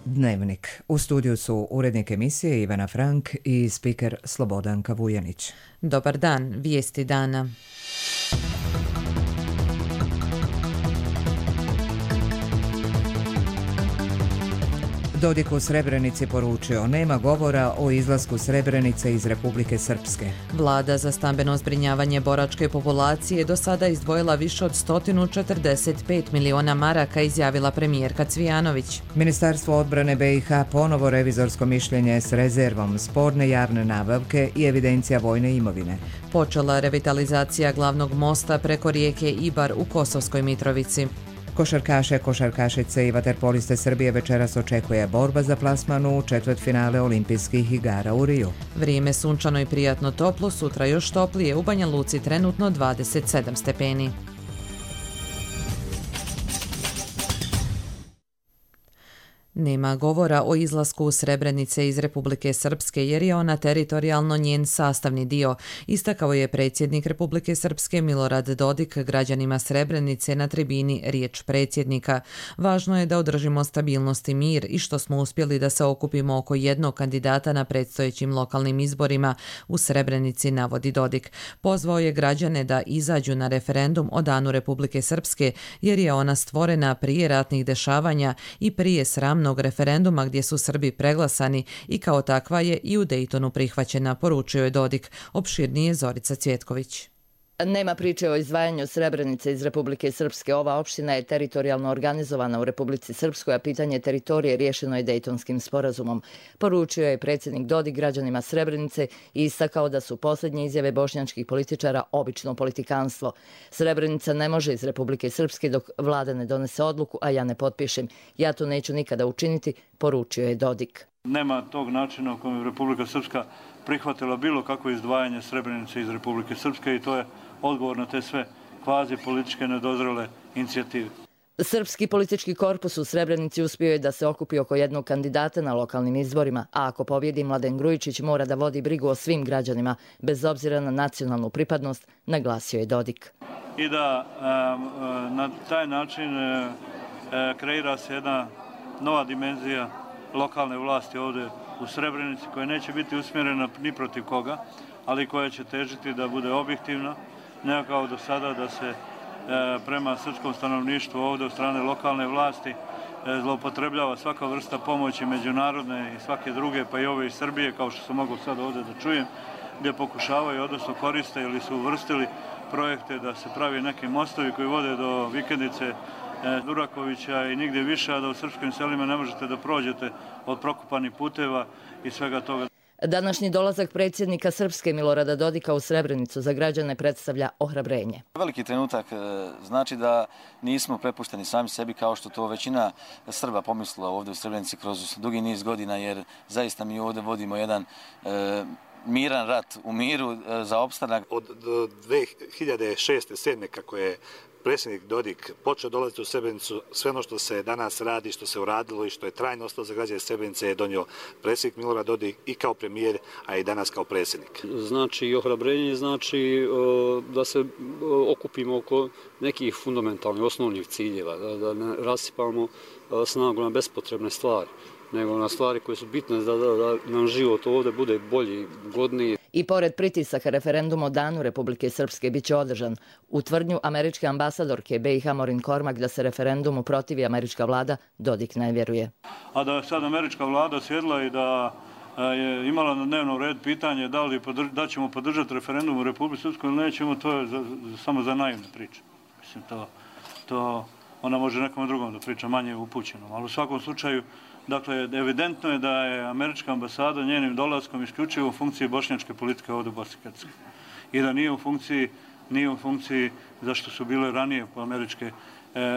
Dnevnik. U studiju su urednik emisije Ivana Frank i spiker Slobodanka Vujanić. Dobar dan, vijesti dana. Dodik u Srebrenici poručio, nema govora o izlasku Srebrenice iz Republike Srpske. Vlada za stambeno zbrinjavanje boračke populacije do sada izdvojila više od 145 miliona maraka, izjavila premijerka Cvijanović. Ministarstvo odbrane BiH ponovo revizorsko mišljenje s rezervom, sporne javne nabavke i evidencija vojne imovine. Počela revitalizacija glavnog mosta preko rijeke Ibar u Kosovskoj Mitrovici. Košarkašice i vaterpoliste Srbije večeras očekuje borba za plasman u četvrtfinale olimpijskih igara u Riju. Vrijeme sunčano i prijatno toplo, sutra još toplije, u Banja Luci trenutno 27 stepeni. Nema govora o izlasku Srebrenice iz Republike Srpske jer je ona teritorijalno njen sastavni dio, istakao je predsjednik Republike Srpske Milorad Dodik građanima Srebrenice na tribini Riječ predsjednika. Važno je da održimo stabilnost i mir i što smo uspjeli da se okupimo oko jednog kandidata na predstojećim lokalnim izborima u Srebrenici, navodi Dodik. Pozvao je građane da izađu na referendum o Danu Republike Srpske jer je ona stvorena prije ratnih dešavanja i prije sramnog referenduma gdje su Srbi preglasani i kao takva je i u Dejtonu prihvaćena, poručio je Dodik. Opširnije Zorica Cvjetković. Nema priče o izdvajanju Srebrenice iz Republike Srpske. Ova opština je teritorijalno organizovana u Republici Srpskoj, a pitanje teritorije riješeno je Dejtonskim sporazumom. Poručio je predsjednik Dodik građanima Srebrenice i istakao da su posljednje izjave bošnjačkih političara obično politikanstvo. Srebrenica ne može iz Republike Srpske dok vlada ne donese odluku, a ja ne potpišem. Ja to neću nikada učiniti, poručio je Dodik. Nema tog načina u kojem je Republika Srpska prihvatila bilo kakvo izdvajanje Srebrenice iz Republike Srpske i to je odgovor na te sve kvazi političke nedozrele inicijative. Srpski politički korpus u Srebrenici uspio je da se okupi oko jednog kandidata na lokalnim izborima, a ako pobjedi Mladen Grujičić mora da vodi brigu o svim građanima, bez obzira na nacionalnu pripadnost, naglasio je Dodik. I da na taj način kreira se jedna nova dimenzija lokalne vlasti ovdje u Srebrenici koja neće biti usmjerena ni protiv koga, ali koja će težiti da bude objektivna, ne kao do sada da se prema srpskom stanovništvu ovdje od strane lokalne vlasti zloupotrebljava svaka vrsta pomoći međunarodne i svake druge, pa i ove iz Srbije, kao što sam mogao sad ovdje da čujem, gdje pokušavaju, odnosno koriste ili su uvrstili projekte da se pravi neki mostovi koji vode do vikendice Durakovića i nigdje više, a da u srpskim selima ne možete da prođete od prokopanih puteva i svega toga. Današnji dolazak predsjednika Srpske Milorada Dodika u Srebrenicu za građane predstavlja ohrabrenje. Veliki trenutak znači da nismo prepušteni sami sebi kao što to većina Srba pomislila ovdje u Srebrenici kroz dugi niz godina, jer zaista mi ovdje vodimo jedan miran rat u miru za opstanak. Od 2006-2007 kako je predsjednik Dodik počeo dolaziti u Srebrenicu, sve ono što se danas radi, što se uradilo i što je trajno ostalo za građane Srebrenice je donio predsjednik Milorad Dodik i kao premijer, a i danas kao predsjednik. Znači ohrabrenje, znači da se okupimo oko nekih fundamentalnih, osnovnih ciljeva, da ne rasipamo snagu na bespotrebne stvari, nego na stvari koje su bitne da nam život ovdje bude bolji, godniji. I pored pritisaka referendum o Danu Republike Srpske bit će održan. U tvrdnju američke ambasadorke BiH Morin Kormak da se referendumu protivi američka vlada, Dodik ne vjeruje. A da je sad američka vlada sjedla i da je imala na dnevnom redu pitanje da ćemo podržati referendum u Republike Srpskoj ili nećemo, to je samo za naivne priče. Mislim, to ona može nekom drugom da priča manje upućenom, ali u svakom slučaju, dakle, evidentno je da je američka ambasada njenim dolaskom isključivo u funkciji bošnjačke politike ovdje u Bosni i Hercegovini. I da nije u funkciji zašto su bile ranije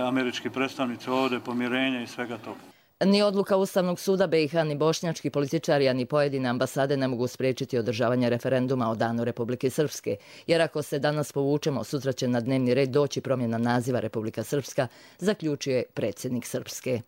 američki predstavnici ovdje, pomirenja i svega toga. Ni odluka Ustavnog suda BiH, ni bošnjački političari, a ni pojedine ambasade ne mogu spriječiti održavanje referenduma o Danu Republike Srpske, jer ako se danas povučemo, sutra će na dnevni red doći promjena naziva Republika Srpska, zaključuje predsjednik Srpske.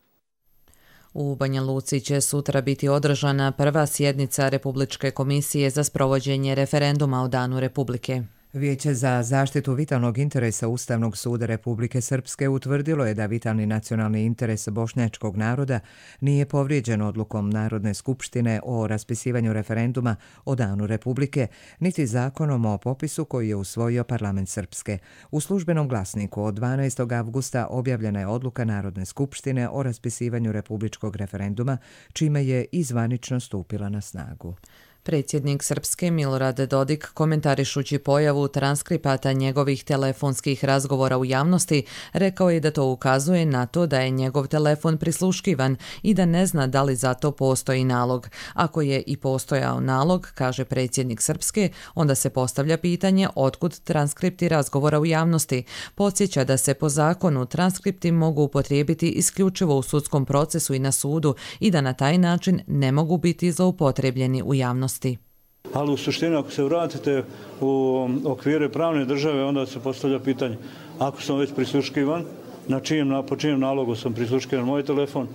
U Banja Luci će sutra biti održana prva sjednica Republičke komisije za sprovođenje referenduma o Danu Republike. Vijeće za zaštitu vitalnog interesa Ustavnog suda Republike Srpske utvrdilo je da vitalni nacionalni interes bošnjačkog naroda nije povrijeđen odlukom Narodne skupštine o raspisivanju referenduma o danu Republike, niti zakonom o popisu koji je usvojio parlament Srpske. U službenom glasniku od 12. avgusta objavljena je odluka Narodne skupštine o raspisivanju republičkog referenduma, čime je i zvanično stupila na snagu. Predsjednik Srpske Milorad Dodik, komentarišući pojavu transkripata njegovih telefonskih razgovora u javnosti, rekao je da to ukazuje na to da je njegov telefon prisluškivan i da ne zna da li za to postoji nalog. Ako je i postojao nalog, kaže predsjednik Srpske, onda se postavlja pitanje otkud transkripti razgovora u javnosti. Podsjeća da se po zakonu transkripti mogu upotrijebiti isključivo u sudskom procesu i na sudu i da na taj način ne mogu biti zloupotrebljeni u javnosti. Ali u suštini, ako se vratite u okvire pravne države, onda se postavlja pitanje, ako sam već prisluškivan, po čijem nalogu sam prisluškivan moj telefon,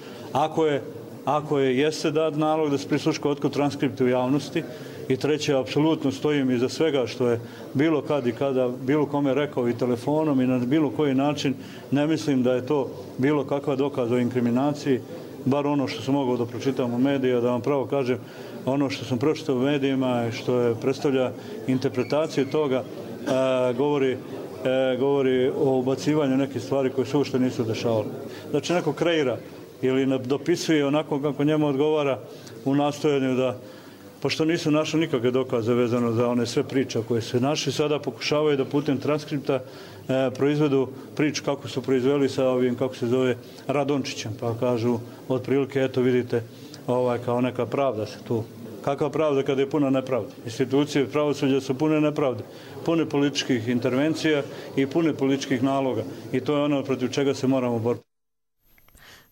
ako jeste dat nalog da se prisluška, otkud transkripti u javnosti, i treće, apsolutno stojim iza svega što je bilo kad i kada bilo kome rekao i telefonom i na bilo koji način, ne mislim da je to bilo kakva dokaz o inkriminaciji, bar ono što sam mogao da pročitam u medijima, da vam pravo kažem, ono što sam pročitao u medijima i što predstavlja interpretaciju toga, govori o ubacivanju nekih stvari koje se uopšte nisu dešavale. Znači neko kreira ili dopisuje onako kako njemu odgovara u nastojanju da, pošto nisu našli nikakve dokaze vezano za one sve priče koje se našli, sada pokušavaju da putem transkripta proizvedu priču kako su proizveli sa ovim, kako se zove, Radončićem. Pa kažu, otprilike, eto vidite, kao neka pravda se tu. Kakva pravda kada je puna nepravda? Institucije pravosuđa su pune nepravde, pune političkih intervencija i pune političkih naloga. I to je ono protiv čega se moramo boriti.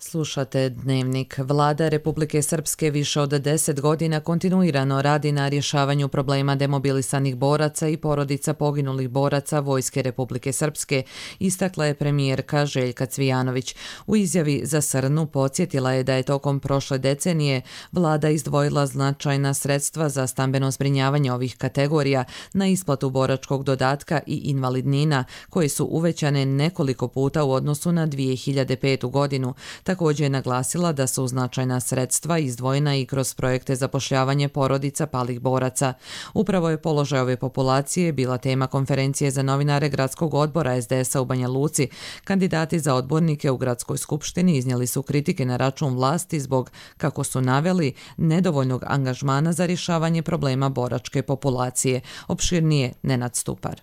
Slušate Dnevnik. Vlada Republike Srpske više od 10 godina kontinuirano radi na rješavanju problema demobilisanih boraca i porodica poginulih boraca Vojske Republike Srpske, istakla je premijerka Željka Cvijanović. U izjavi za Srnu podsjetila je da je tokom prošle decenije vlada izdvojila značajna sredstva za stambeno zbrinjavanje ovih kategorija, na isplatu boračkog dodatka i invalidnina, koje su uvećane nekoliko puta u odnosu na 2005. godinu. Također je naglasila da su značajna sredstva izdvojena i kroz projekte zapošljavanje porodica palih boraca. Upravo je položaj ove populacije bila tema konferencije za novinare Gradskog odbora SDS-a u Banja Luci. Kandidati za odbornike u Gradskoj skupštini iznijeli su kritike na račun vlasti zbog, kako su naveli, nedovoljnog angažmana za rješavanje problema boračke populacije. Opširnije Nenad Stupar.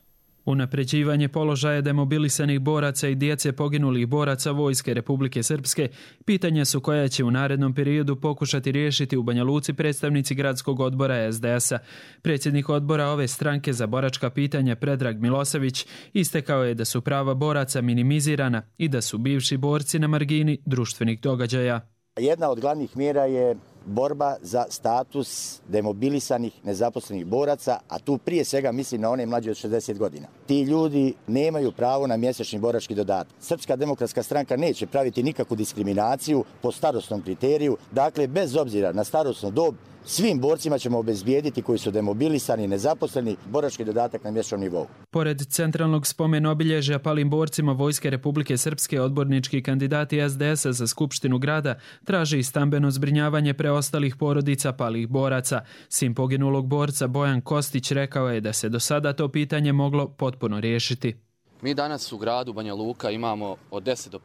Unapređivanje položaja demobilisanih boraca i djece poginulih boraca Vojske Republike Srpske pitanja su koja će u narednom periodu pokušati riješiti u Banja Luci predstavnici Gradskog odbora SDS-a. Predsjednik odbora ove stranke za boračka pitanja Predrag Milosević istakao je da su prava boraca minimizirana i da su bivši borci na margini društvenih događaja. Jedna od glavnih mjera je borba za status demobilisanih nezaposlenih boraca, a tu prije svega mislim na one mlađe od 60 godina. Ti ljudi nemaju pravo na mjesečni borački dodatak. Srpska demokratska stranka neće praviti nikakvu diskriminaciju po starosnom kriteriju. Dakle, bez obzira na starosnu dob, svim borcima ćemo obezbijediti koji su demobilisani i nezaposleni borački dodatak na mjesečnom nivou. Pored centralnog spomen obilježja palim borcima Vojske Republike Srpske, odbornički kandidati SDS-a za Skupštinu grada traže i stambeno zbrinjavanje preostalih porodica palih boraca. Sin poginulog borca Bojan Kostić rekao je da se do sada to pitanje moglo potpuno riješiti. Mi danas u gradu Banja Luka imamo od 10 do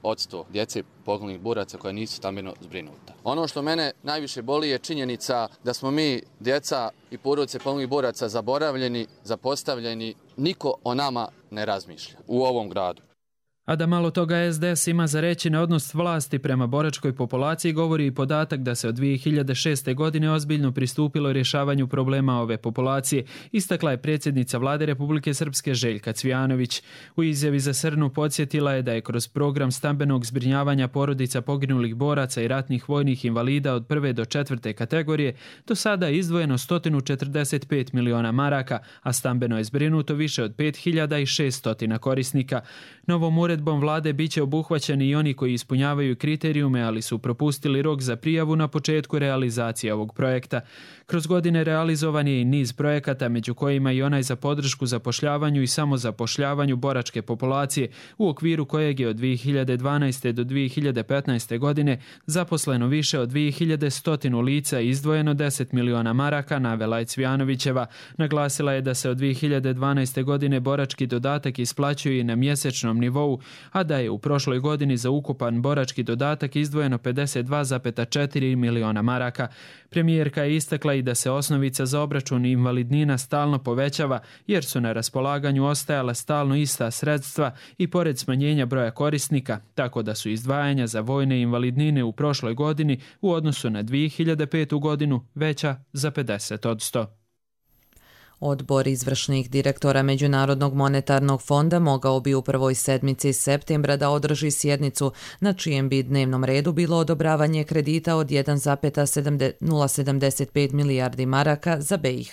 15% djece poginulih boraca koja nisu stambeno zbrinuta. Ono što mene najviše boli je činjenica da smo mi, djeca i porodice poginulih boraca, zaboravljeni, zapostavljeni. Niko o nama ne razmišlja u ovom gradu. A da malo toga SDS ima za reći na odnos vlasti prema boračkoj populaciji govori i podatak da se od 2006. godine ozbiljno pristupilo rješavanju problema ove populacije, istakla je predsjednica Vlade Republike Srpske Željka Cvijanović. U izjavi za Srnu podsjetila je da je kroz program stambenog zbrinjavanja porodica poginulih boraca i ratnih vojnih invalida od 1. do 4. kategorije do sada izdvojeno 145 miliona maraka, a stambeno je zbrinuto više od 5600 korisnika. Novom uredbom vlade biće obuhvaćeni i oni koji ispunjavaju kriterijume, ali su propustili rok za prijavu na početku realizacije ovog projekta. Kroz godine realizovan je i niz projekata, među kojima i onaj za podršku zapošljavanju i samozapošljavanju boračke populacije, u okviru kojeg je od 2012. do 2015. godine zaposleno više od 2100 lica i izdvojeno 10 miliona maraka, navela je Cvijanovićeva. Naglasila je da se od 2012. godine borački dodatak isplaćuje i na mjesečnom nivou, a da je u prošloj godini za ukupan borački dodatak izdvojeno 52,4 miliona maraka. Premijerka je istakla i da se osnovica za obračun invalidnina stalno povećava, jer su na raspolaganju ostajala stalno ista sredstva i pored smanjenja broja korisnika, tako da su izdvajanja za vojne invalidnine u prošloj godini u odnosu na 2005. godinu veća za 50%. Odbor izvršnih direktora Međunarodnog monetarnog fonda mogao bi u prvoj sedmici septembra da održi sjednicu na čijem bi dnevnom redu bilo odobravanje kredita od 1,075 milijardi maraka za BiH.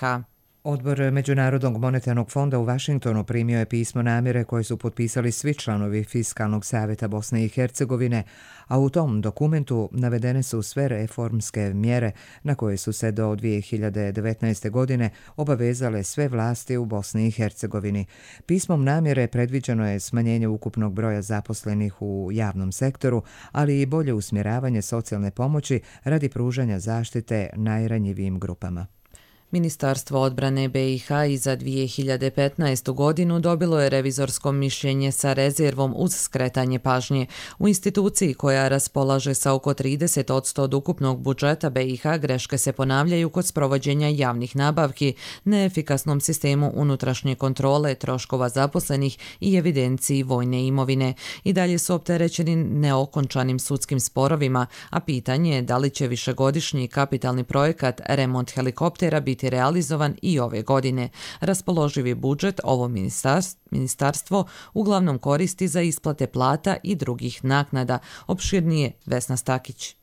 Odbor Međunarodnog monetarnog fonda u Vašingtonu primio je pismo namjere koje su potpisali svi članovi Fiskalnog savjeta Bosne i Hercegovine, a u tom dokumentu navedene su sve reformske mjere na koje su se do 2019. godine obavezale sve vlasti u Bosni i Hercegovini. Pismom namjere predviđeno je smanjenje ukupnog broja zaposlenih u javnom sektoru, ali i bolje usmjeravanje socijalne pomoći radi pružanja zaštite najranjivijim grupama. Ministarstvo odbrane BiH i za 2015. godinu dobilo je revizorsko mišljenje sa rezervom uz skretanje pažnje. U instituciji koja raspolaže sa oko 30% od ukupnog budžeta BiH greške se ponavljaju kod sprovođenja javnih nabavki, neefikasnom sistemu unutrašnje kontrole, troškova zaposlenih i evidenciji vojne imovine. I dalje su opterećeni neokončanim sudskim sporovima, a pitanje je da li će višegodišnji kapitalni projekat remont helikoptera biti realizovan i ove godine. Raspoloživi budžet ovo ministarstvo uglavnom koristi za isplate plata i drugih naknada. Opširnije Vesna Stakić.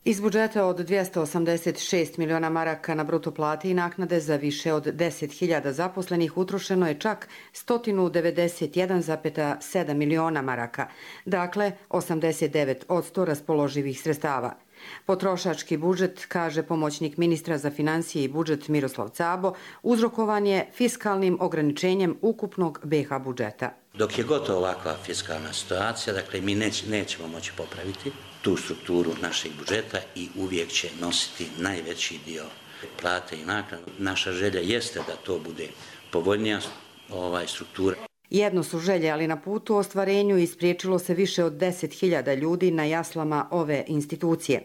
Iz budžeta od 286 miliona maraka na bruto plate i naknade za više od 10.000 zaposlenih utrošeno je čak 191,7 miliona maraka, dakle 89% raspoloživih sredstava. Potrošački budžet, kaže pomoćnik ministra za financije i budžet Miroslav Cabo, uzrokovan je fiskalnim ograničenjem ukupnog BiH budžeta. Dok je gotovo ovakva fiskalna situacija, dakle mi nećemo moći popraviti tu strukturu našeg budžeta i uvijek će nositi najveći dio plate i naknade. Naša želja jeste da to bude povoljnija struktura. Jedno su želje, ali na putu ostvarenju ispriječilo se više od 10.000 ljudi na jaslama ove institucije.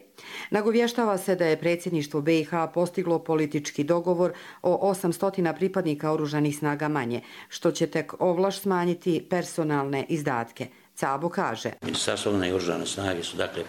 Nagovještava se da je predsjedništvo BiH postiglo politički dogovor o 800 pripadnika oružanih snaga manje, što će tek ovlaš smanjiti personalne izdatke. Cabo kaže: Ministarstvo obrane i oružane snage su dakle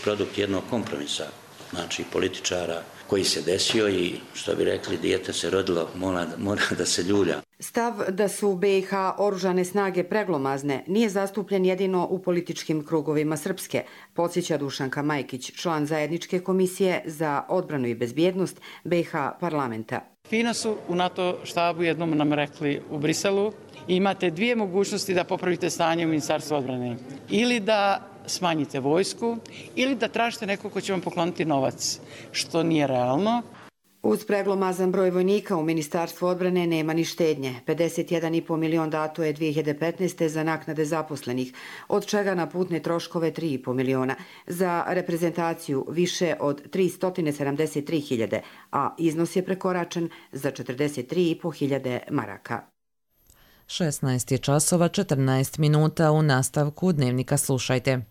produkt jednog kompromisa, znači političara koji se desio i, što bi rekli, dijete se rodilo, mora da se ljulja. Stav da su u BiH oružane snage preglomazne nije zastupljen jedino u političkim krugovima Srpske, podsjeća Dušanka Majkić, član zajedničke komisije za odbranu i bezbjednost BiH parlamenta. Fino su u NATO štabu jednom nam rekli u Briselu: imate dvije mogućnosti da popravite stanje u Ministarstvu odbrane. Ili da smanjite vojsku, ili da tražite nekog ko će vam pokloniti novac, što nije realno. Uz preglomazan broj vojnika u Ministarstvu odbrane nema ni štednje. 51,5 milion dato je 2015. za naknade zaposlenih, od čega na putne troškove 3,5 miliona, za reprezentaciju više od 373.000, a iznos je prekoračen za 43.500 maraka. 16 je časova 14 minuta, u nastavku Dnevnika slušajte.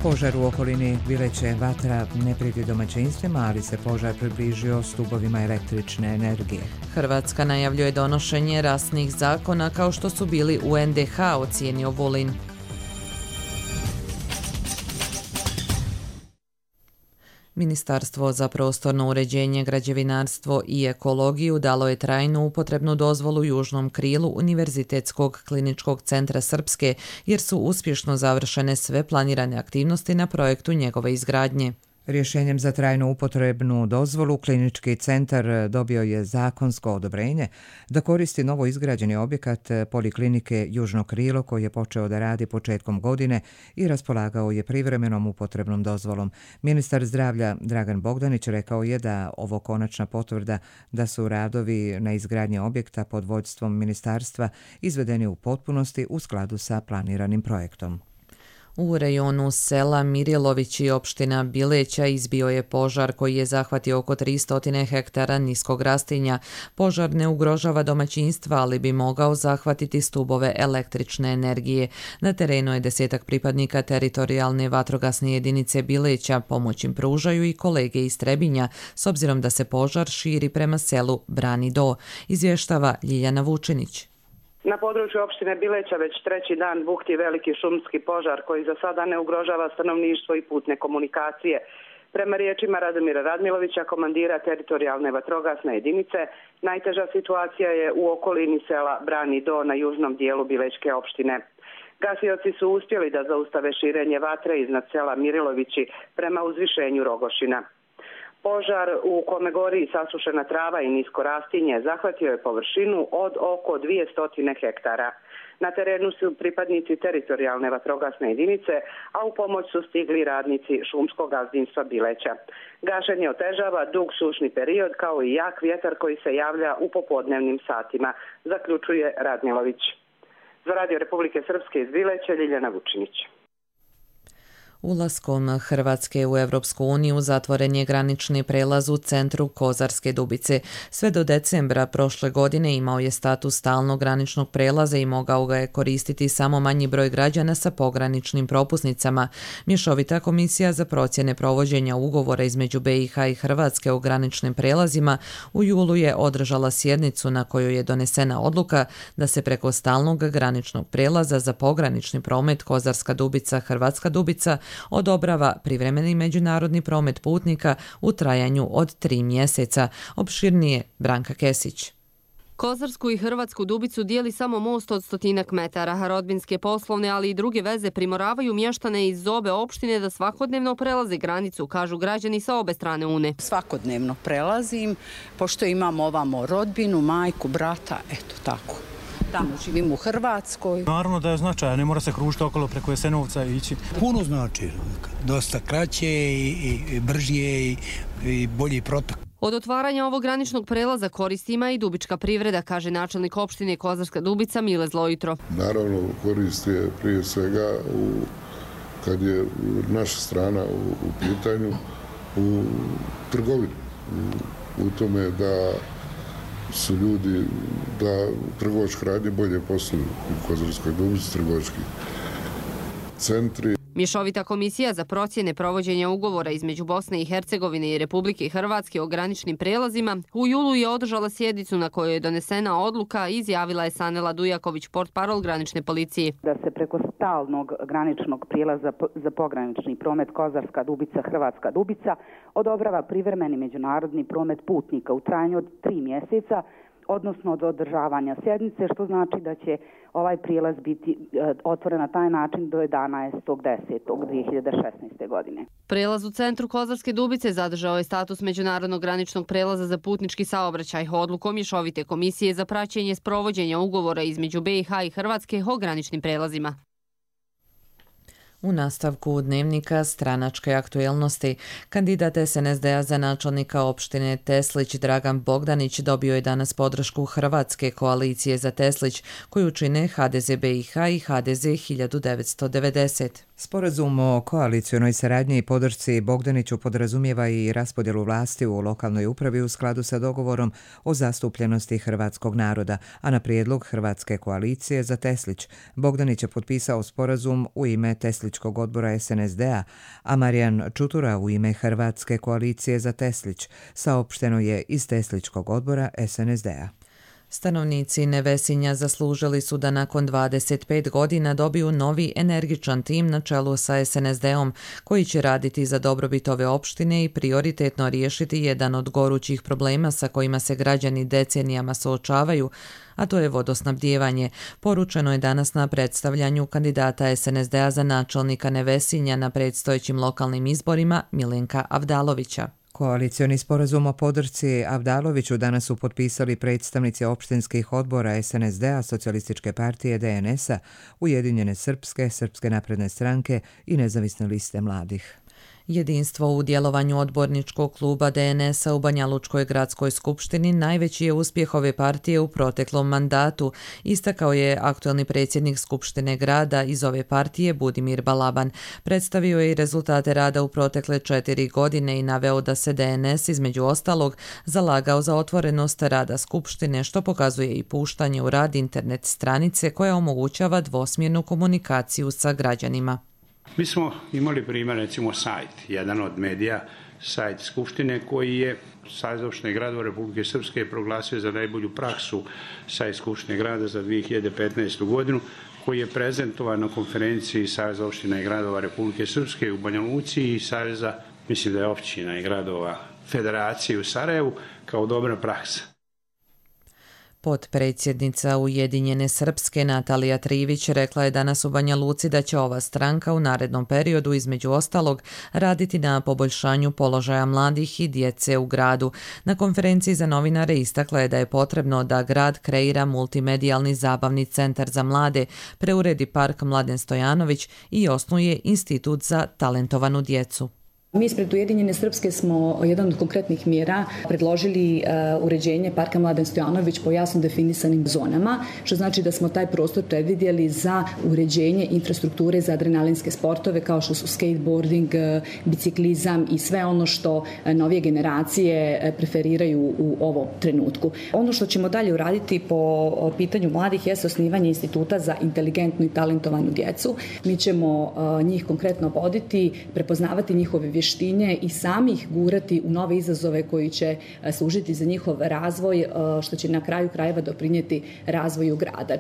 Požar u okolini Bileće vatra ne prijeti domaćinstvima, ali se požar približio stubovima električne energije. Hrvatska najavljuje donošenje rasnih zakona kao što su bili u NDH, ocijenio Vulin. Ministarstvo za prostorno uređenje, građevinarstvo i ekologiju dalo je trajnu upotrebnu dozvolu južnom krilu Univerzitetskog kliničkog centra Srpske, jer su uspješno završene sve planirane aktivnosti na projektu njegove izgradnje. Rješenjem za trajnu upotrebnu dozvolu klinički centar dobio je zakonsko odobrenje da koristi novo izgrađeni objekat Poliklinike Južno krilo koji je počeo da radi početkom godine i raspolagao je privremenom upotrebnom dozvolom. Ministar zdravlja Dragan Bogdanić rekao je da ovo konačna potvrda da su radovi na izgradnji objekta pod vođstvom ministarstva izvedeni u potpunosti u skladu sa planiranim projektom. U rejonu sela Mirjelović i opština Bileća izbio je požar koji je zahvatio oko 300 hektara niskog rastinja. Požar ne ugrožava domaćinstva, ali bi mogao zahvatiti stubove električne energije. Na terenu je 10 pripadnika teritorijalne vatrogasne jedinice Bileća, pomoć im pružaju i kolege iz Trebinja, s obzirom da se požar širi prema selu Brani do, izvještava Ljiljana Vučinić. Na području opštine Bileća već treći dan bukti veliki šumski požar koji za sada ne ugrožava stanovništvo i putne komunikacije. Prema riječima Radomira Radmilovića, komandira teritorijalne vatrogasne jedinice, najteža situacija je u okolini sela Brani do na južnom dijelu Bilećke opštine. Gasioci su uspjeli da zaustave širenje vatre iznad sela Mirilovići prema uzvišenju Rogošina. Požar u kome gori sasušena trava i nisko rastinje zahvatio je površinu od oko 200 hektara. Na terenu su pripadnici teritorijalne vatrogasne jedinice, a u pomoć su stigli radnici šumskog gazdinstva Bileća. Gašenje otežava dug sušni period kao i jak vjetar koji se javlja u popodnevnim satima, zaključuje Radmilović. Za Radio Republike Srpske iz Bileća, Ljiljana Vučinić. Ulaskom Hrvatske u Evropsku uniju zatvoren je granični prelaz u centru Kozarske Dubice. Sve do decembra prošle godine imao je status stalnog graničnog prelaza i mogao ga je koristiti samo manji broj građana sa pograničnim propusnicama. Mješovita komisija za procjene provođenja ugovora između BiH i Hrvatske o graničnim prelazima u julu je održala sjednicu na kojoj je donesena odluka da se preko stalnog graničnog prelaza za pogranični promet Kozarska Dubica, Hrvatska Dubica odobrava privremeni međunarodni promet putnika u trajanju od 3 mjeseca. Opširnije Branka Kesić. Kozarsku i Hrvatsku Dubicu dijeli samo most od 100 metara. Rodbinske, poslovne, ali i druge veze primoravaju mještane iz obe opštine da svakodnevno prelaze granicu, kažu građani sa obe strane Une. Svakodnevno prelazim, pošto imamo ovamo rodbinu, majku, brata, eto tako. Tamo živim u Hrvatskoj. Naravno da je značajan, ne mora se kružiti okolo preko Jesenovca i ići. Puno znači, dosta kraće i bržije i bolji protok. Od otvaranja ovog graničnog prelaza koristi ima i dubička privreda, kaže načelnik opštine Kozarska Dubica Mile Zlojitro. Naravno korist je prije svega kad je naša strana u pitanju u trgovini, u tome da su ljudi, da trgovačke radnje bolje posluju u Kozarskoj Dubici, trgovački centri. Mješovita komisija za procjene provođenja ugovora između Bosne i Hercegovine i Republike Hrvatske o graničnim prelazima u julu je održala sjednicu na kojoj je donesena odluka, izjavila je Sanela Dujaković, portparol granične policije. Da se preko stalnog graničnog prijelaza za pogranični promet Kozarska Dubica, Hrvatska Dubica odobrava privremeni međunarodni promet putnika u trajanju od 3 mjeseca, odnosno od održavanja sjednice, što znači da će ovaj prijelaz biti otvoren na taj način do 11.10.2016. godine. Prelaz u centru Kozarske Dubice zadržao je status međunarodnog graničnog prelaza za putnički saobraćaj. Odlukom Mješovite komisije za praćenje sprovođenja ugovora između BiH i Hrvatske o graničnim prelazima. U nastavku dnevnika stranačke aktuelnosti, kandidat SNSD-a za načelnika opštine Teslić Dragan Bogdanić dobio je danas podršku Hrvatske koalicije za Teslić, koju čine HDZ BiH i HDZ 1990. Sporazum o koalicionoj saradnji i podršci Bogdaniću podrazumijeva i raspodjelu vlasti u lokalnoj upravi u skladu sa dogovorom o zastupljenosti hrvatskog naroda, a na prijedlog Hrvatske koalicije za Teslić Bogdanić je potpisao sporazum u ime Tesličkog odbora SNSD-a, a Marijan Čutura u ime Hrvatske koalicije za Teslić, saopšteno je iz Tesličkog odbora SNSD-a. Stanovnici Nevesinja zaslužili su da nakon 25 godina dobiju novi energičan tim na čelu sa SNSD-om koji će raditi za dobrobit ove opštine i prioritetno riješiti jedan od gorućih problema sa kojima se građani decenijama suočavaju, a to je vodosnabdijevanje. Poručeno je danas na predstavljanju kandidata SNSD-a za načelnika Nevesinja na predstojećim lokalnim izborima Milenka Avdalovića. Koalicioni sporazum o podršci Avdaloviću danas su potpisali predstavnici opštinskih odbora SNSD-a, Socijalističke partije, DNS-a, Ujedinjene Srpske, Srpske napredne stranke i Nezavisne liste mladih. Jedinstvo u djelovanju odborničkog kluba DNS-a u Banjalučkoj gradskoj skupštini najveći je uspjeh ove partije u proteklom mandatu, istakao je aktuelni predsjednik Skupštine grada iz ove partije Budimir Balaban. Predstavio je i rezultate rada u protekle 4 godine i naveo da se DNS između ostalog zalagao za otvorenost rada Skupštine, što pokazuje i puštanje u rad internet stranice koja omogućava dvosmjernu komunikaciju sa građanima. Mi smo imali primjer, recimo sajt, jedan od medija, sajt Skupštine koji je Savez opštine gradova Republike Srpske proglasio za najbolju praksu sajt Skupštine grada za 2015. godinu, koji je prezentovan na konferenciji Saveza opština i gradova Republike Srpske u Banja Luci i Saveza, mislim da je općina i gradova Federacije u Sarajevu, kao dobra praksa. Potpredsjednica Ujedinjene Srpske Natalija Trivić rekla je danas u Banja Luci da će ova stranka u narednom periodu između ostalog raditi na poboljšanju položaja mladih i djece u gradu. Na konferenciji za novinare istakla je da je potrebno da grad kreira multimedijalni zabavni centar za mlade, preuredi park Mladen Stojanović i osnuje institut za talentovanu djecu. Mi ispred Ujedinjene Srpske smo jedan od konkretnih mjera predložili uređenje parka Mladen Stojanović po jasno definisanim zonama, što znači da smo taj prostor predvidjeli za uređenje infrastrukture za adrenalinske sportove kao što su skateboarding, biciklizam i sve ono što novije generacije preferiraju u ovom trenutku. Ono što ćemo dalje uraditi po pitanju mladih je osnivanje instituta za inteligentnu i talentovanu djecu. Mi ćemo njih konkretno voditi, prepoznavati njihove vještine i sami ih gurati u nove izazove koji će služiti za njihov razvoj, što će na kraju krajeva doprinijeti razvoju grada.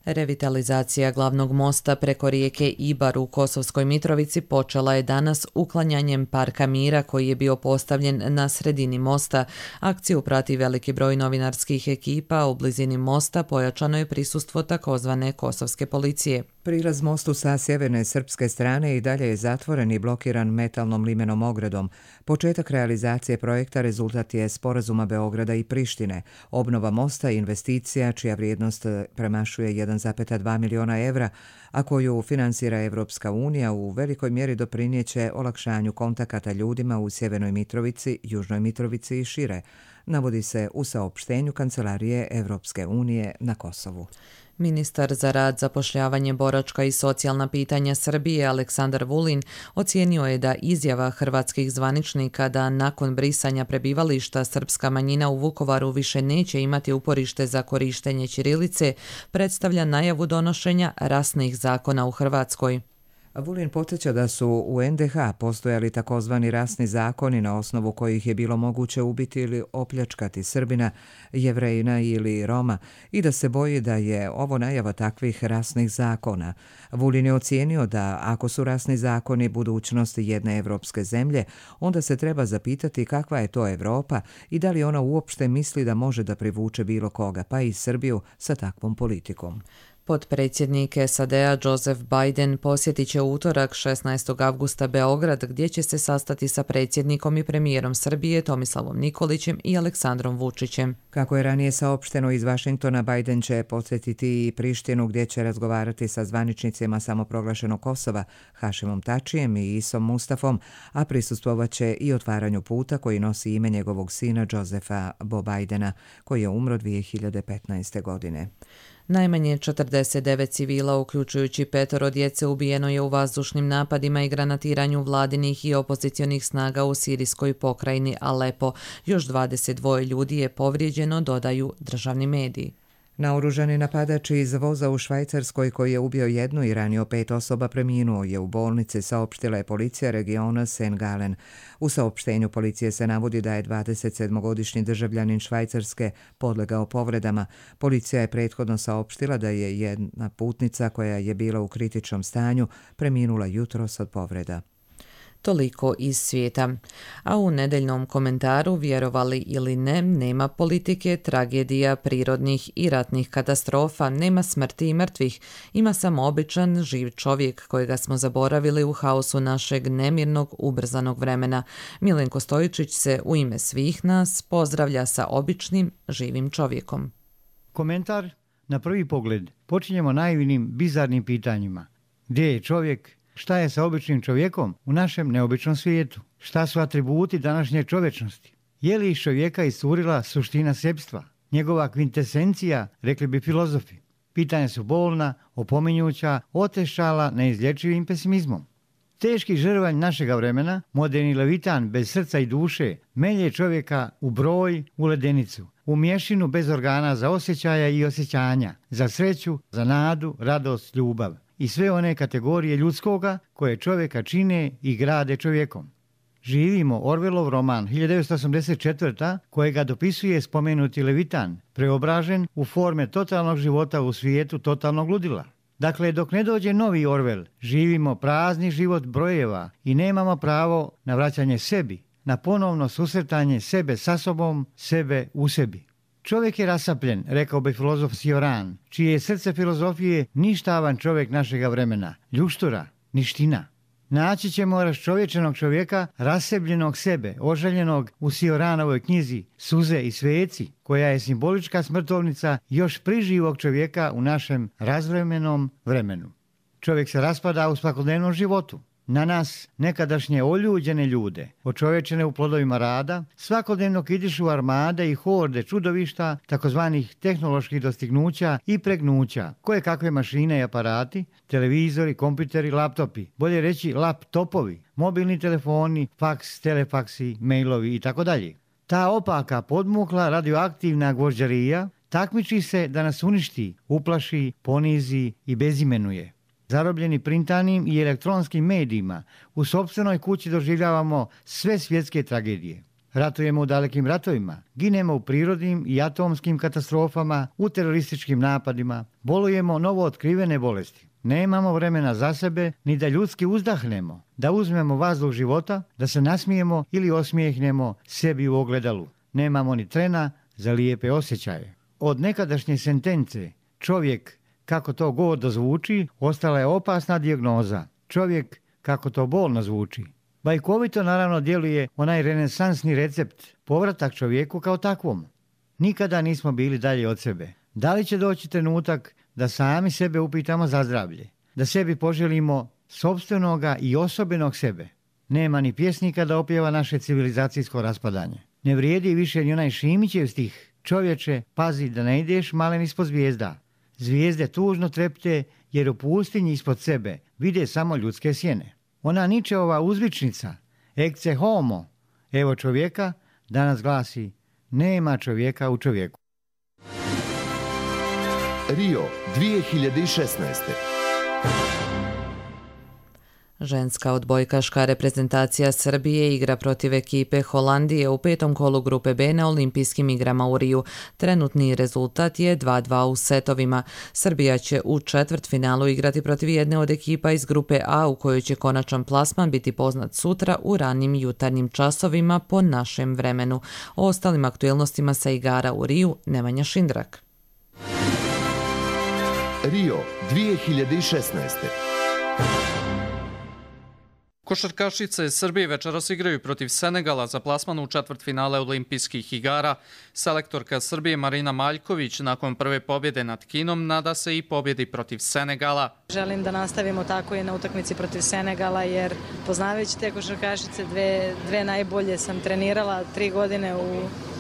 Revitalizacija glavnog mosta preko rijeke Ibar u Kosovskoj Mitrovici počela je danas uklanjanjem parka mira koji je bio postavljen na sredini mosta. Akciju prati veliki broj novinarskih ekipa, u blizini mosta pojačano je prisustvo takozvane kosovske policije. Prilaz mostu sa sjeverne srpske strane i dalje je zatvoren i blokiran metalnom limenom ogradom. Početak realizacije projekta rezultat je sporazuma Beograda i Prištine. Obnova mosta je investicija čija vrijednost premašuje 1,2 miliona evra, a koju finansira Evropska unija, u velikoj mjeri doprinijeće olakšanju kontakata ljudima u Sjevernoj Mitrovici, Južnoj Mitrovici i šire, navodi se u saopštenju Kancelarije Evropske unije na Kosovu. Ministar za rad, zapošljavanje, boračka i socijalna pitanja Srbije Aleksandar Vulin ocijenio je da izjava hrvatskih zvaničnika da nakon brisanja prebivališta srpska manjina u Vukovaru više neće imati uporište za korištenje ćirilice predstavlja najavu donošenja rasnih zakona u Hrvatskoj. Vulin podsjeća da su u NDH postojali takozvani rasni zakoni na osnovu kojih je bilo moguće ubiti ili opljačkati Srbina, Jevrejina ili Roma i da se boji da je ovo najava takvih rasnih zakona. Vulin je ocijenio da ako su rasni zakoni budućnost jedne evropske zemlje, onda se treba zapitati kakva je to Evropa i da li ona uopšte misli da može da privuče bilo koga, pa i Srbiju, sa takvom politikom. Potpredsjednik SAD-a Joseph Biden posjetit će u utorak 16. avgusta Beograd, gdje će se sastati sa predsjednikom i premijerom Srbije Tomislavom Nikolićem i Aleksandrom Vučićem. Kako je ranije saopšteno iz Vašingtona, Biden će posjetiti i Prištinu, gdje će razgovarati sa zvaničnicima samoproglašenog Kosova Hašimom Tačijem i Isom Mustafom, a prisustvovaće i otvaranju puta koji nosi ime njegovog sina Josepha Bo Bidena, koji je umro 2015. godine. Najmanje 49 civila, uključujući 5 djece, ubijeno je u vazdušnim napadima i granatiranju vladinih i opozicionih snaga u sirijskoj pokrajini Alepo. Još 22 ljudi je povrijeđeno, dodaju državni mediji. Naoružani napadač iz voza u Švajcarskoj koji je ubio jednu i ranio 5 osoba preminuo je u bolnici, saopštila je policija regiona St. Gallen. U saopštenju policije se navodi da je 27-godišnji državljanin Švajcarske podlegao povredama. Policija je prethodno saopštila da je jedna putnica koja je bila u kritičnom stanju preminula jutros od povreda. Toliko iz svijeta. A u nedeljnom komentaru, vjerovali ili ne, nema politike, tragedija, prirodnih i ratnih katastrofa, nema smrti i mrtvih. Ima samo običan, živ čovjek kojega smo zaboravili u haosu našeg nemirnog, ubrzanog vremena. Milenko Stojičić se u ime svih nas pozdravlja sa običnim, živim čovjekom. Komentar na prvi pogled počinjemo naivnim, bizarnim pitanjima. Gdje je čovjek? Šta je sa običnim čovjekom u našem neobičnom svijetu? Šta su atributi današnje čovječnosti? Je li iz čovjeka iscurila suština sebstva? Njegova kvintesencija, rekli bi filozofi. Pitanja su bolna, opominjuća, otešala neizlječivim pesimizmom. Teški žrvanj našega vremena, moderni levitan bez srca i duše, melje čovjeka u broj, u ledenicu, u mješinu bez organa za osjećaja i osjećanja, za sreću, za nadu, radost, ljubav i sve one kategorije ljudskoga koje čovjeka čine i grade čovjekom. Živimo Orwellov roman 1984. kojega dopisuje spomenuti levitan, preobražen u forme totalnog života u svijetu totalnog ludila. Dakle, dok ne dođe novi Orwell, živimo prazni život brojeva i nemamo pravo na vraćanje sebi, na ponovno susretanje sebe sa sobom, sebe u sebi. Čovjek je rasapljen, rekao bi filozof Cioran, čije je srce filozofije ništavan čovjek našega vremena, ljuštura, niština. Naći ćemo raščovječenog čovjeka, rasebljenog sebe, ožaljenog u Cioranovoj knjizi Suze i sveci, koja je simbolička smrtovnica još priživog čovjeka u našem razvremenom vremenu. Čovjek se raspada u svakodnevnom životu. Na nas, nekadašnje oljuđene ljude, očovječene u plodovima rada, svakodnevno kidišu armade i horde čudovišta, takozvanih tehnoloških dostignuća i pregnuća, koje kakve mašine i aparati, televizori, kompjuteri, laptopi, bolje reći laptopovi, mobilni telefoni, faks, telefaksi, mailovi itd. Ta opaka, podmukla, radioaktivna gvožđarija takmiči se da nas uništi, uplaši, ponizi i bezimenuje. Zarobljeni printanim i elektronskim medijima, u sopstvenoj kući doživljavamo sve svjetske tragedije. Ratujemo u dalekim ratovima, ginemo u prirodnim i atomskim katastrofama, u terorističkim napadima, bolujemo novo otkrivene bolesti. Nemamo vremena za sebe, ni da ljudski uzdahnemo, da uzmemo vazduh života, da se nasmijemo ili osmijehnemo sebi u ogledalu. Nemamo ni trena za lijepe osjećaje. Od nekadašnje sentence, čovjek, kako to gordo zvuči, ostala je opasna dijagnoza. Čovjek, kako to bolno zvuči. Bajkovito naravno djeluje onaj renesansni recept, povratak čovjeku kao takvom. Nikada nismo bili dalje od sebe. Da li će doći trenutak da sami sebe upitamo za zdravlje? Da sebi poželimo sopstvenoga i osobenog sebe? Nema ni pjesnika da opjeva naše civilizacijsko raspadanje. Ne vrijedi više ni onaj Šimićev stih. Čovječe, pazi da ne ideš malen ispod zvijezda. Zvijezde tužno trepte jer u pustinji ispod sebe vide samo ljudske sjene. Ona Ničeova uzvičnica, ecce homo, evo čovjeka, danas glasi, nema čovjeka u čovjeku. Rio 2016. Ženska odbojkaška reprezentacija Srbije igra protiv ekipe Holandije u 5. kolu grupe B na olimpijskim igrama u Riju. Trenutni rezultat je 2:2 u setovima. Srbija će u četvrtfinalu igrati protiv jedne od ekipa iz grupe A u kojoj će konačan plasman biti poznat sutra u ranim jutarnjim časovima po našem vremenu. O ostalim aktuelnostima sa igara u Riju Nemanja Šindrak. Rio 2016. Košarkašice Srbije večeras igraju protiv Senegala za plasman u četvrtfinale olimpijskih igara. Selektorka Srbije Marina Maljković nakon prve pobjede nad Kinom nada se i pobjedi protiv Senegala. Želim da nastavimo tako i na utakmici protiv Senegala jer poznavajući te košarkašice dve najbolje sam trenirala 3 godine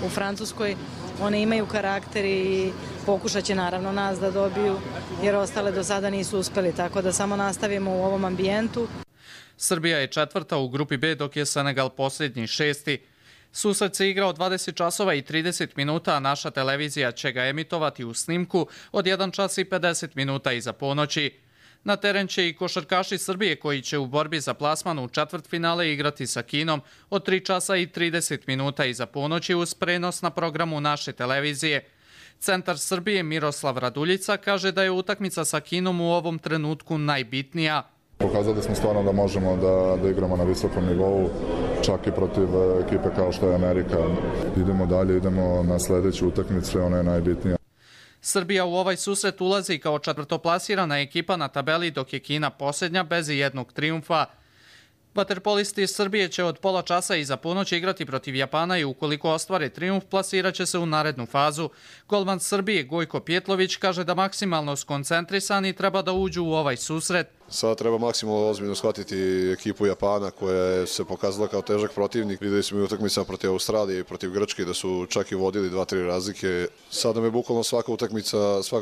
u Francuskoj. One imaju karakter i pokušat će naravno nas da dobiju jer ostale do sada nisu uspeli, tako da samo nastavimo u ovom ambijentu. Srbija je četvrta u grupi B dok je Senegal posljednji 6. Susret se igrao 20 časova i 30 minuta, a naša televizija će ga emitovati u snimku od 1 čas i 50 minuta iza ponoći. Na teren će i košarkaši Srbije koji će u borbi za plasman u četvrtfinale igrati sa Kinom od 3 časa i 30 minuta iza ponoći uz prenos na programu naše televizije. Centar Srbije Miroslav Raduljica kaže da je utakmica sa Kinom u ovom trenutku najbitnija. Pokazali smo stvarno da možemo da igramo na visokom nivou, čak i protiv ekipe kao što je Amerika. Idemo dalje, idemo na sljedeću utakmicu, ona je najbitnija. Srbija u ovaj susret ulazi kao četvrtoplasirana ekipa na tabeli, dok je Kina posljednja bez jednog trijumfa. Vaterpolisti iz Srbije će od pola časa iza ponoći igrati protiv Japana i ukoliko ostvare trijumf, plasirat će se u narednu fazu. Golman Srbije Gojko Pjetlović kaže da maksimalno skoncentrisani treba da uđu u ovaj susret. Sada treba maksimalno ozbiljno shvatiti ekipu Japana koja se pokazala kao težak protivnik. Videli smo i utakmicama protiv Australije i protiv Grčke da su čak i vodili 2-3 razlike. Sada nam je bukvalno svaka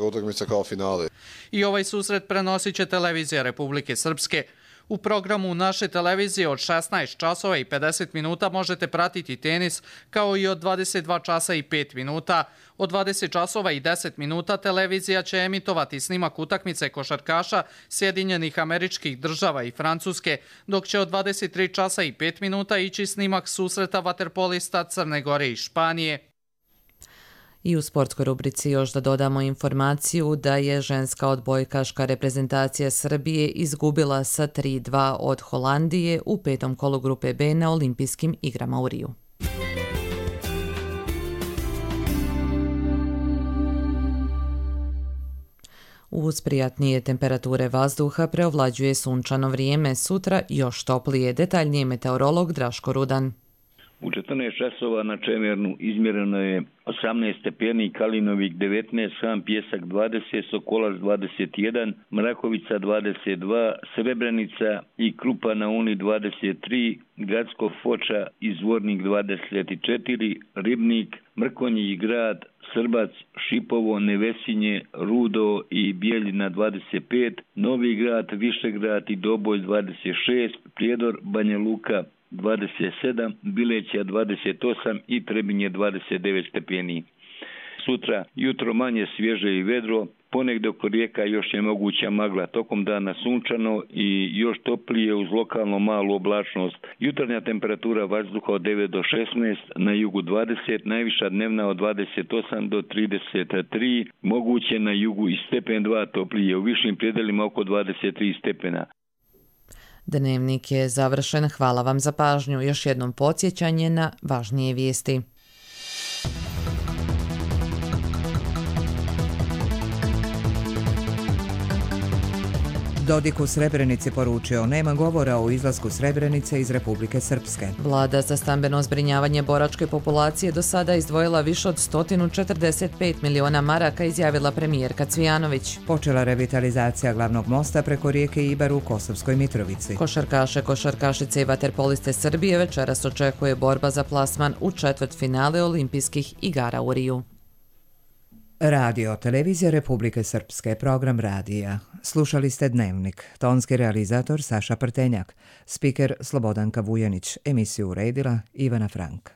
utakmica kao finale. I ovaj susret prenosit će televizija Republike Srpske. U programu naše televizije od 16 časova i 50 minuta možete pratiti tenis, kao i od 22 časa i 5 minuta. Od 20 časova i 10 minuta televizija će emitovati snimak utakmice košarkaša Sjedinjenih Američkih Država i Francuske, dok će od 23 časa i 5 minuta ići snimak susreta vaterpolista Crne Gore i Španije. I u sportskoj rubrici još da dodamo informaciju da je ženska odbojkaška reprezentacija Srbije izgubila sa 3-2 od Holandije u 5. kolu grupe B na olimpijskim igrama u Riju. Uz prijatnije temperature vazduha preovlađuje sunčano vrijeme, sutra još toplije, detaljnije meteorolog Draško Rudan. U 14 časova na Čemernu izmjereno je 18 stepeni, Kalinovik 19, Sam Pjesak 20, Sokolac 21, Mrakovica 22, Srebrenica i Krupa na Uni 23, Gradsko Foča i Zvornik 24, Ribnik, Mrkonji Grad, Srbac, Šipovo, Nevesinje, Rudo i Bijeljina 25, Novi Grad, Višegrad i Doboj 26, Prijedor, Banja Luka 27, Bileća 28 i Trebinje 29 stepeni. Sutra jutro manje svježe i vedro, ponegdje oko rijeka još je moguća magla, tokom dana sunčano i još toplije uz lokalno malu oblačnost. Jutarnja temperatura vazduha od 9 do 16, na jugu 20, najviša dnevna od 28 do 33, moguće na jugu i stepen 2 toplije, u višim predelima oko 23 stepena. Dnevnik je završen, hvala vam za pažnju. Još jednom podsjećanje na važnije vijesti. Dodik u Srebrenici poručio, nema govora o izlasku Srebrenice iz Republike Srpske. Vlada za stambeno zbrinjavanje boračke populacije do sada izdvojila više od 145 miliona maraka, izjavila premijerka Cvijanović. Počela revitalizacija glavnog mosta preko rijeke Ibar u Kosovskoj Mitrovici. Košarkašice i vaterpoliste Srbije večeras očekuje borba za plasman u četvrtfinale olimpijskih igara u Riju. Radio, televizija Republike Srpske, program radija. Slušali ste Dnevnik, tonski realizator Saša Prtenjak, spiker Slobodanka Vujanić, emisiju uredila Ivana Frank.